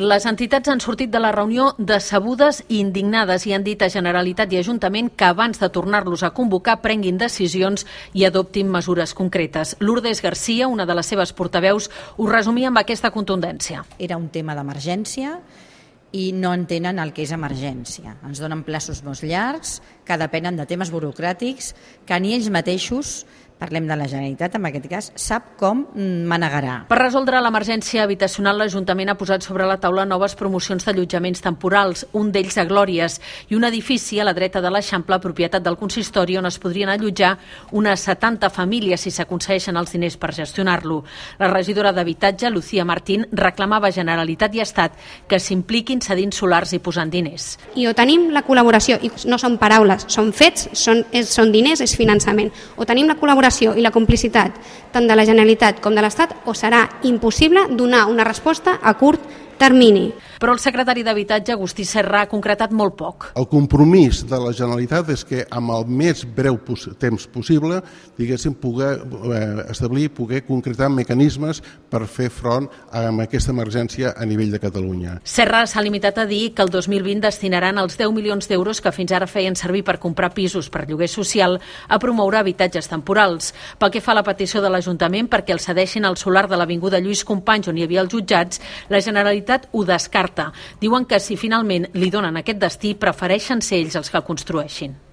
Les entitats han sortit de la reunió decebudes i indignades i han dit a Generalitat i Ajuntament que abans de tornar-los a convocar prenguin decisions i adoptin mesures concretes. Lourdes Garcia, una de les seves portaveus, ho resumia amb aquesta contundència. Era un tema d'emergència i no entenen el que és emergència. Ens donen plaços molt llargs, que depenen de temes burocràtics, que ni ells mateixos, parlem de la Generalitat en aquest cas, sap com manegarà. Per resoldre l'emergència habitacional, l'Ajuntament ha posat sobre la taula noves promocions d'allotjaments temporals, un d'ells a Glòries, i un edifici a la dreta de l'Eixample, propietat del consistori, on es podrien allotjar unes 70 famílies si s'aconsegueixen els diners per gestionar-lo. La regidora d'Habitatge, Lucía Martín, reclamava a Generalitat i Estat que s'impliquin cedint solars i posant diners. I o tenim la col·laboració, i no són paraules, són fets, són diners, és finançament, o tenim la col·laboració i la complicitat tant de la Generalitat com de l'Estat, o serà impossible donar una resposta a curt termini. Però el secretari d'Habitatge, Agustí Serra, ha concretat molt poc. El compromís de la Generalitat és que amb el més breu temps possible diguéssim poder concretar mecanismes per fer front a aquesta emergència a nivell de Catalunya. Serra s'ha limitat a dir que el 2020 destinaran els 10 milions d'euros que fins ara feien servir per comprar pisos per lloguer social a promoure habitatges temporals. Pel que fa a la petició de l'Ajuntament perquè el cedeixin al solar de l'Avinguda Lluís Companys on hi havia els jutjats, la Generalitat ho descarta. Diuen que si finalment li donen aquest destí, prefereixen ser ells els que el construeixin.